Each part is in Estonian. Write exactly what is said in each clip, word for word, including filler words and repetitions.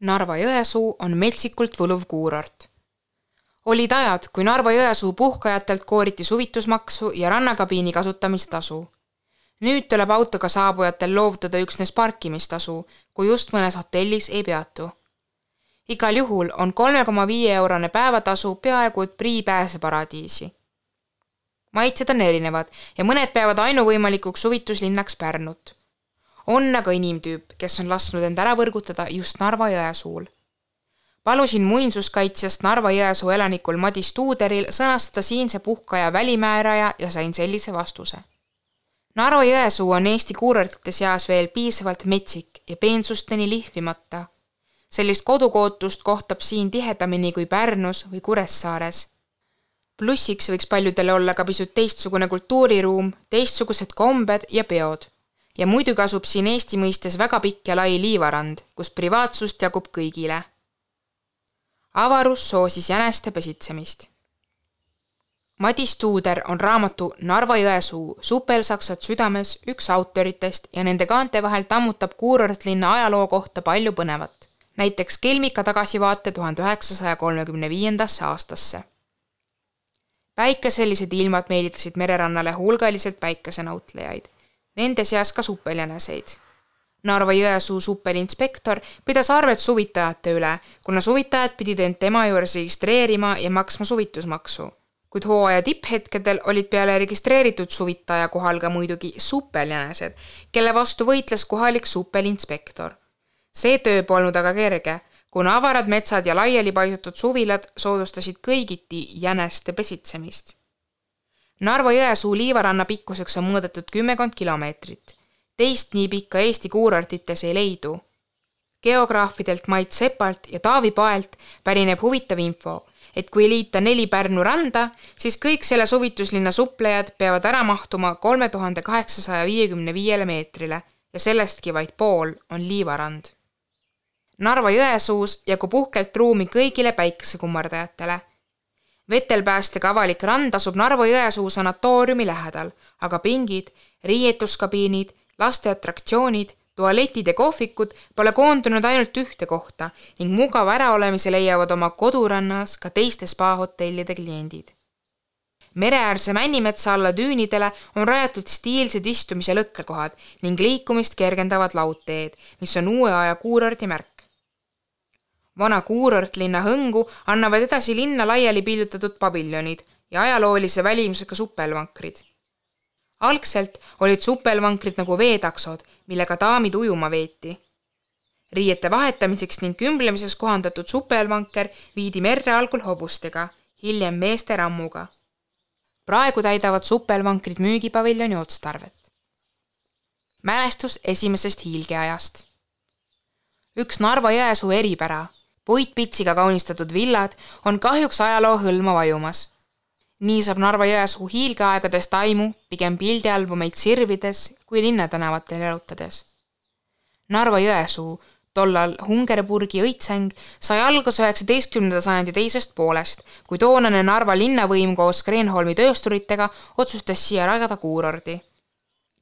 Narva-Jõesuu on metsikult võluv kuurort. Olid ajad, kui Narva-Jõesuu puhkajatelt kooriti suvitusmaksu ja rannakabiini kasutamise tasu. Nüüd tuleb autoga saabujatel loovutada üksnes parkimistasu, kui just mõnes hotellis ei peatu. Igal juhul on kolme koma viis eurone päevatasu peaaegu et prii pääseparadiisi. Maitsed on erinevad ja mõned peavad ainuvõimalikuks suvituslinnaks Pärnut. On aga inimtüüp, kes on lasknud end ära võrgutada just Narva-Jõesuul. Palusin muinsuskaitsjast Narva-Jõesuu elanikul Madis Tuuderil sõnastada siinse puhkaja välimääraja ja sain sellise vastuse. Narva-Jõesuu on Eesti kuurortite seas veel piisavalt metsik ja peensusteni lihvimata. Sellist kodukootust kohtab siin tihedamini kui Pärnus või Kuressaares. Plussiks võiks paljudele olla ka pisut teistsugune kultuuriruum, teistsugused kombed ja peod. Ja muidu kasub siin Eesti mõistes väga pikk ja lai liivarand, kus privaatsust jagub kõigile. Avarus soosis jäneste pesitsemist. Madis Tuuder on raamatu Narva-Jõesuu supelsaksad südames üks autoritest ja nende kaante vahel tammutab kuurortlinna ajaloo kohta palju põnevat. Näiteks kelmika tagasivaate tuhande üheksasaja kolmekümne viiendasse aastasse. Päikeselised ilmad meelitasid mererannale hulgaliselt päikesenautlejaid. Nende seas ka suppeljäneseid. Narva-Jõesuu suppelinspektor pidas arvet suvitajate üle, kuna suvitajad pidid end tema juures registreerima ja maksma suvitusmaksu. Kuid hooaja tipphetkedel olid peale registreeritud suvitaja kohal ka muidugi suppeljänesed, kelle vastu võitles kohalik suppelinspektor. See töö polnud aga kerge, kuna avarad metsad ja laiali paisatud suvilad soodustasid kõigiti jäneste pesitsemist. Narva-Jõesuu liivaranna pikkuseks on mõõdetud kümmekond kilomeetrit. Teist nii pikka Eesti kuurortites ei leidu. Geograafidelt Mait Sepalt ja Taavi Paelt pärineb huvitav info, et kui liita neli Pärnu randa, siis kõik selle suvituslinna suplejad peavad ära mahtuma kolme tuhande kaheksasaja viiekümne viiele meetrile ja sellestki vaid pool on liivarand. Narva-Jõesuus jagub uhkelt ruumi kõigile päikesekummardajatele. Vetelpäästega avalik rand asub Narva-Jõesuu sanatooriumi lähedal, aga pingid, riietuskabiinid, laste atraktsioonid, tualetid ja kohvikud pole koondunud ainult ühte kohta ning mugava äraolemise leiavad oma kodurannas ka teiste spa-hotellide kliendid. Mereäärse Männimetsa alla düünidele on rajatud stiilsed istumise lõkkekohad ning liikumist kergendavad laudteed, mis on uue aja kuurorti märk. Vana kuurortlinna hõngu annavad edasi linna laiali pildutatud paviljonid ja ajaloolise välimusega suppelvankrid. Algselt olid suppelvankrid nagu veetaksod, millega daamid ujuma veeti. Riiete vahetamiseks ning kümblemises kohandatud suppelvanker viidi merre algul hobustega, hiljem meeste rammuga. Praegu täidavad suppelvankrid müügipaviljoni otstarvet. Mälestus esimesest hiilgeajast. Üks Narva-Jõesuu eripära, puitpitsiga kaunistatud villad, on kahjuks ajaloo hõlma vajumas. Nii saab Narva-Jõesuu hiilgeaegadest aimu pigem pildialbumeid sirvides kui linnatänavatel elutades. Narva-Jõesuu, tollal Hungerburgi õitseng, sai alguse üheksateistkümnenda sajandi teisest poolest, kui toonane Narva linnavõim koos Kreenholmi töösturitega otsustas siia rajada kuurordi.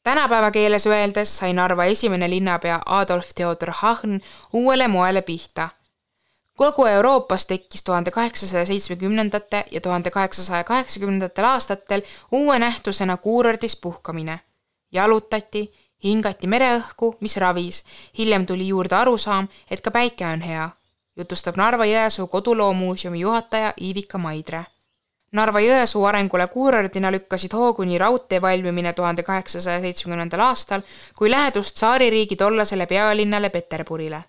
Tänapäeva keeles öeldes sai Narva esimene linnapea Adolf Theodor Hahn uuele moele pihta. Kogu Euroopas tekkis tuhande kaheksasaja seitsmekümnendate ja tuhande kaheksasaja kaheksakümnendatel aastatel uue nähtusena kuurordis puhkamine. Jalutati, hingati mereõhku, mis ravis, hiljem tuli juurde arusaam, et ka päike on hea, jutustab Narva-Jõesuu koduloomuuseumi juhataja Iivika Maidre. Narva-Jõesuu arengule kuurordina lükkasid hooguni raudtee valmimine tuhande kaheksasaja seitsmekümnendal aastal, kui lähedust saaririigi tollasele pealinnale Peterburile.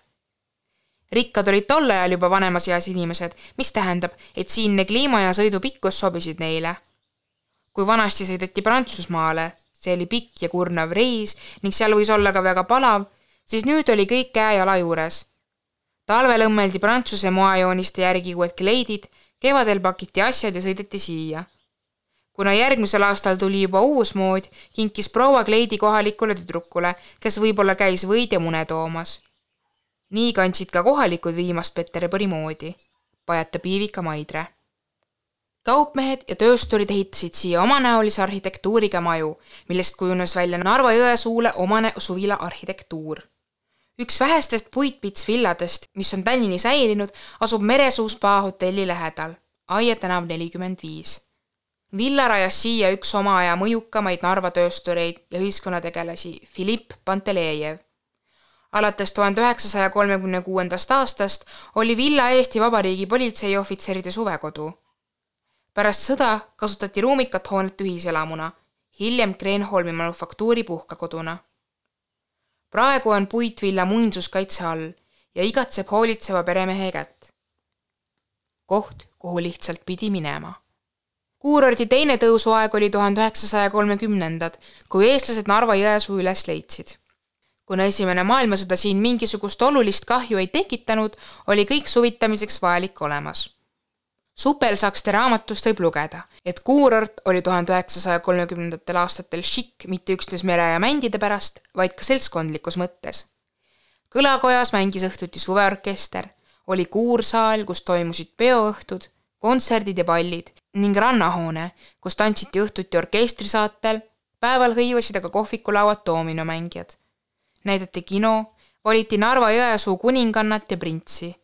Rikkad olid tolle ajal juba vanemas eas inimesed, mis tähendab, et siinne kliima ja sõidu pikkus sobisid neile. Kui vanasti sõideti Prantsusmaale, see oli pikk ja kurnav reis ning seal võis olla ka väga palav, siis nüüd oli kõik käe jala juures. Talvel õmmeldi Prantsuse moajooniste järgi uued kleidid, kevadel pakiti asjad ja sõideti siia. Kuna järgmisel aastal tuli juba uus mood, kinkis proua kleidi kohalikule tüdrukule, kes võib-olla käis võid ja mune toomas. Nii kandsid ka kohalikud viimast Peterburi moodi, pajatab Iivika Maidre. Kaupmehed ja töösturid ehitasid siia omanäolise arhitektuuriga maju, millest kujunes välja Narva-Jõesuule omane suvila arhitektuur. Üks vähestest puitpitsvilladest, mis on tänini säilinud, asub Meresuu spa hotelli lähedal, Aie tänav nelikümmend viis. Villa rajas siia üks oma aja mõjukamaid Narva tööstureid ja ühiskonnategelasi Filipp Pantelejev. Alates tuhande üheksasaja kolmekümne kuuendast aastast oli villa Eesti Vabariigi politseiohvitseride suvekodu. Pärast sõda kasutati ruumikat hoonet ühiselamuna, hiljem Kreenholmi manufaktuuri puhkakoduna. Praegu on puitvilla muinsuskaitse all ja igatseb hoolitseva peremehe kätt. Koht, kuhu lihtsalt pidi minema. Kuurordi teine tõusuaeg oli tuhande üheksasaja kolmekümnendad, kui eestlased Narva Jõesuu üles leidsid. Kuna esimene maailmasõda siin mingisugust olulist kahju ei tekitanud, oli kõik suvitamiseks vajalik olemas. Supelsakste raamatust võib lugeda, et Kuurort oli tuhande üheksasaja kolmekümnendatel aastatel šikk mitte üksnes mere ja mändide pärast, vaid ka seltskondlikus mõttes. Kõlakojas mängis õhtuti suveorkester, oli kuursaal, kus toimusid peoõhtud, kontserdid ja pallid ning rannahoone, kus tantsiti õhtuti orkestrisaatel, päeval hõivasid aga kohvikulauad doominomängijad. Näidati kino, valiti Narva Jõesuu kuningannat ja printsi.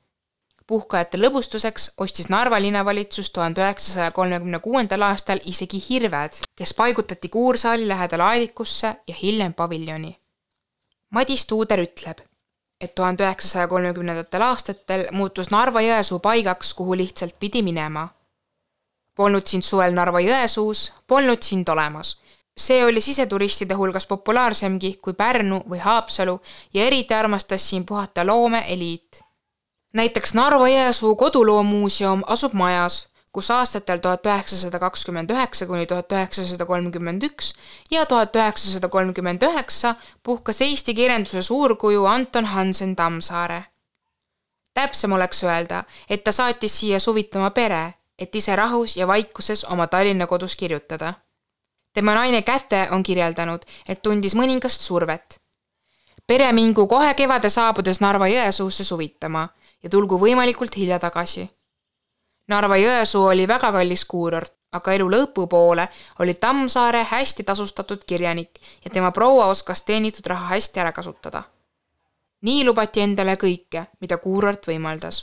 Puhkajate lõbustuseks ostis Narva linnavalitsus tuhande üheksasaja kolmekümne kuuendal aastal isegi hirved, kes paigutati kuursaali lähedal aedikusse ja hiljem paviljoni. Madis Tuuder ütleb, et tuhande üheksasaja kolmekümnendatel aastatel muutus Narva Jõesuu paigaks, kuhu lihtsalt pidi minema. Polnud sind suvel Narva Jõesuus, polnud sind olemas. See oli siseturistide hulgas populaarsemgi kui Pärnu või Haapsalu ja eriti armastas siin puhata loome eliit. Näiteks Narva Jõesuu koduloomuuseum asub majas, kus aastatel tuhat üheksasada kakskümmend üheksa kuni tuhat üheksasada kolmkümmend üks ja tuhat üheksasada kolmkümmend üheksa puhkas Eesti kirjanduse suurkuju Anton Hansen Tammsaare. Täpsem oleks öelda, et ta saatis siia suvitama pere, et ise rahus ja vaikuses oma Tallinna kodus kirjutada. Tema naine Käte on kirjeldanud, et tundis mõningast survet. Pere mingu kohe kevade saabudes Narva Jõesuusse suvitama ja tulgu võimalikult hilja tagasi. Narva Jõesuu oli väga kallis kuurort, aga elu lõpu poole oli Tammsaare hästi tasustatud kirjanik ja tema proua oskas teenitud raha hästi ära kasutada. Nii lubati endale kõike, mida kuurort võimaldas.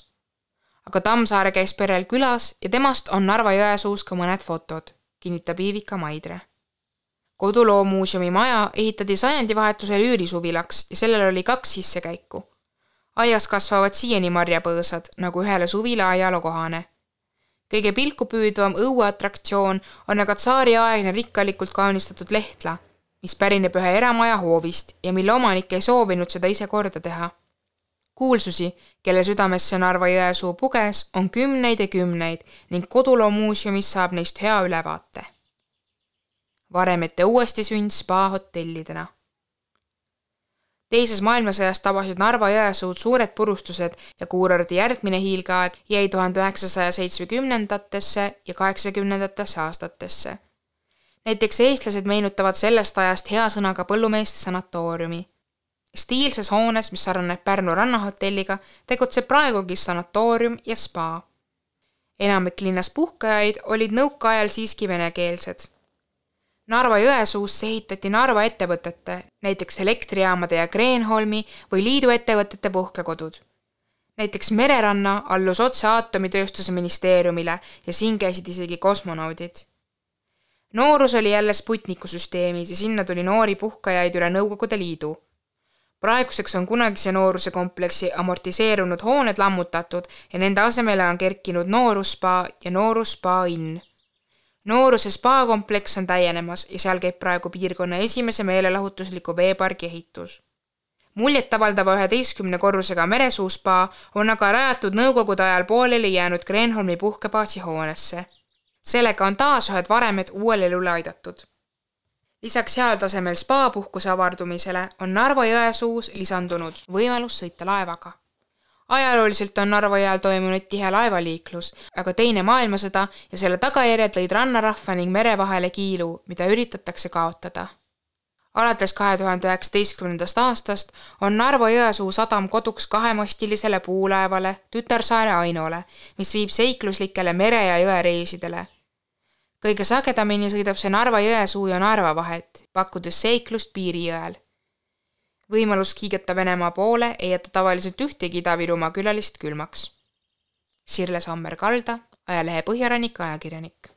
Aga Tammsaare käis perel külas ja temast on Narva Jõesuus ka mõned fotod, kinnitab Iivika Maidre. Koduloomuuseumi maja ehitati sajandivahetusel üürisuvilaks ja sellel oli kaks sissekäiku. Aias kasvavad siiani marjapõõsad, nagu ühele suvila ajalo kohane. Kõige pilku püüdvam õueatraktsioon on aga tsaariaegne rikkalikult kaunistatud lehtla, mis pärineb ühe eramaja hoovist ja mille omanik ei soovinud seda ise korda teha. Kuulsusi, kelle südamesse Narva Jõesuu puges, on kümneid ja kümneid ning koduloomuuseumis saab neist hea ülevaate. Varemete uuesti sünd spa hotellidena. Teises maailmasõjas tabasid Narva Jõesuud suured purustused ja kuurordi järgmine hiilgeaeg jäi tuhande üheksasaja seitsmekümnendatesse ja kaheksakümnendatesse aastatesse. Näiteks eestlased meenutavad sellest ajast hea sõnaga põllumeeste sanatooriumi. Stiilses hoones, mis sarnaneb Pärnu rannahotelliga, tegutseb praegugi sanatoorium ja spa. Enamik linnas puhkajaid olid nõukaajal siiski venekeelsed. Narva Jõesuusse ehitati Narva ettevõtete, näiteks elektrijaamade ja Kreenholmi või liidu ettevõtete puhkekodud. Näiteks Mereranna allus otse aatomitööstuse ministeeriumile ja siin käisid isegi kosmonaudid. Noorus oli jälle Sputniku süsteemis ja sinna tuli noori puhkajaid üle Nõukogude Liidu. Praeguseks on kunagise nooruse kompleksi amortiseerunud hooned lammutatud ja nende asemele on kerkinud noorusspa ja noorusspa inn. Nooruse spa-kompleks on täienemas ja seal käib praegu piirkonna esimese meelelahutusliku veepargi ehitus. Muljet avaldava üheteistkümne korrusega Meresuu spa on aga rajatud Nõukogude ajal pooleli jäänud Kreenholmi puhkebaasi hoonesse. Sellega on taas ühed varemed uuel elule aidatud. Lisaks heal tasemel spa-puhkuse avardumisele on Narva Jõesuus lisandunud võimalus sõita laevaga. Ajalooliselt on Narva jõel toimunud tihe laevaliiklus, aga teine maailmasõda ja selle tagajärjed lõid rannarahva ning mere vahele kiilu, mida üritatakse kaotada. Alates kahe tuhande üheksateistkümnendast aastast on Narva Jõesuu sadam koduks kahemastilisele puulaevale Tütarsaare Ainole, mis viib seikluslikele mere- ja jõereisidele. Kõige sagedamini sõidab see Narva Jõesuu ja Narva vahet, pakkudes seiklust Piirijõel. Võimalus kiigeta Venemaa poole ei jäta tavaliselt ühtegi Ida-Virumaa külalist külmaks. Sirle Sammer-Kalda, ajalehe Põhjarannik ajakirjanik.